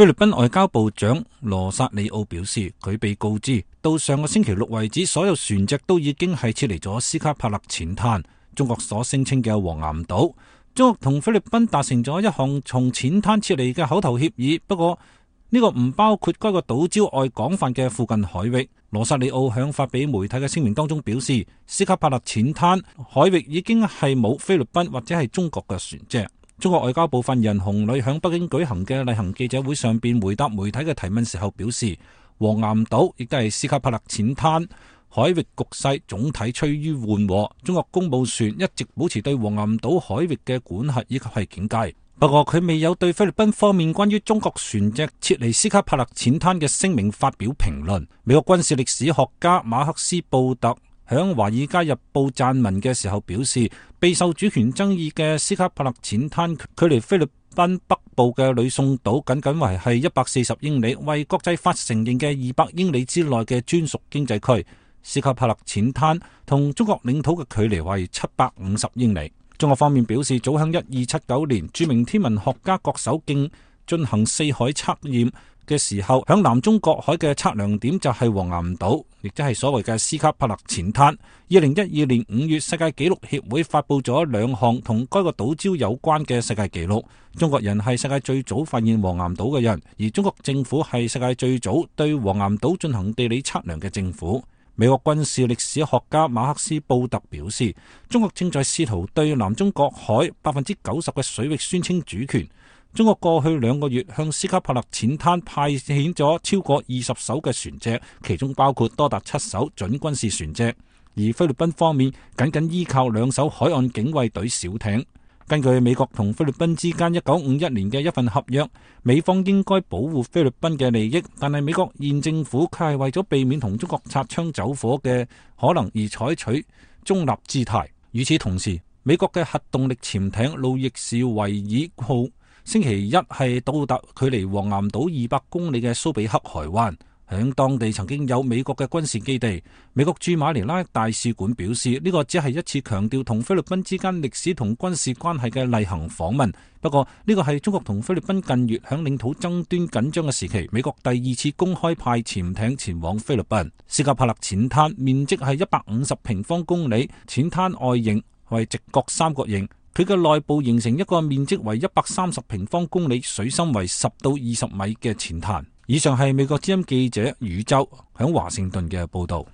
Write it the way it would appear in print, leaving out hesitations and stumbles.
菲律賓外交部長羅薩里奧表示，佢被告知到上個星期六為止，所有船隻都已經係撤離咗斯卡帕勒淺灘，中國所聲稱嘅黃岩島。中國同菲律賓達成咗一項從淺灘撤離嘅口頭協議，不過呢個唔包括該個島礁外廣泛嘅附近海域。羅薩里奧響發俾媒體嘅聲明當中表示，斯卡帕勒淺灘海域已經係冇菲律賓或者係中國嘅船隻。中國外交部發言人洪磊響北京舉行嘅例行記者會上邊回答媒體嘅提問時候表示，黃岩島亦都係斯卡帕勒淺灘海域局勢總體趨於緩和，中國公務船一直保持對黃岩島海域嘅管轄以及係警戒。不過佢未有對菲律賓方面關於中國船隻撤離斯卡帕勒淺灘嘅聲明發表評論。美國軍事歷史學家馬克斯布特響華爾街日報撰文嘅時候表示，備受主權爭議嘅斯卡帕勒淺灘距離菲律賓北部嘅呂宋島僅僅為係140英里，為國際法承認嘅200英里之內嘅專屬經濟區。斯卡帕勒淺灘同中國領土嘅距離為750英里。中國方面表示，早喺1279年，著名天文學家郭守敬進行四海測驗嘅時候，響南中國海嘅測量點就係黃岩島，亦即係所謂嘅斯卡帕勒淺灘。2012年5月，世界紀錄協會發佈咗2項同該個島礁有關嘅世界紀錄。中國人係世界最早發現黃岩島嘅人，而中國政府係世界最早對黃岩島進行地理測量嘅政府。美國軍事歷史學家馬克斯布特表示，中國正在試圖對南中國海90%嘅水域宣稱主權。中國過去2個月向斯卡帕勒淺灘派遣咗超過20艘嘅船隻，其中包括多達7艘準軍事船隻，而菲律賓方面僅僅依靠2艘海岸警衛隊小艇。根據美國同菲律賓之間1951年嘅一份合約，美方應該保護菲律賓嘅利益，但係美國現政府卻係為咗避免同中國擦槍走火嘅可能而採取中立姿態。與此同時，美國嘅核動力潛艇路易士維爾號星期一係到達距離黃岩島200公里嘅蘇比克海灣，響當地曾經有美國嘅軍事基地。美國駐馬尼拉大使館表示，呢個只係一次強調同菲律賓之間歷史同軍事關係嘅例行訪問。不過呢個係中國同菲律賓近月響領土爭端緊張嘅時期，美國第2次公開派潛艇前往菲律賓。斯卡帕勒淺灘面積係150平方公里，淺灘外形為直角三角形，佢嘅內部形成一個面積為130平方公里、水深為10到20米嘅淺灘。以上係美國之音記者宇宙響華盛頓嘅報道。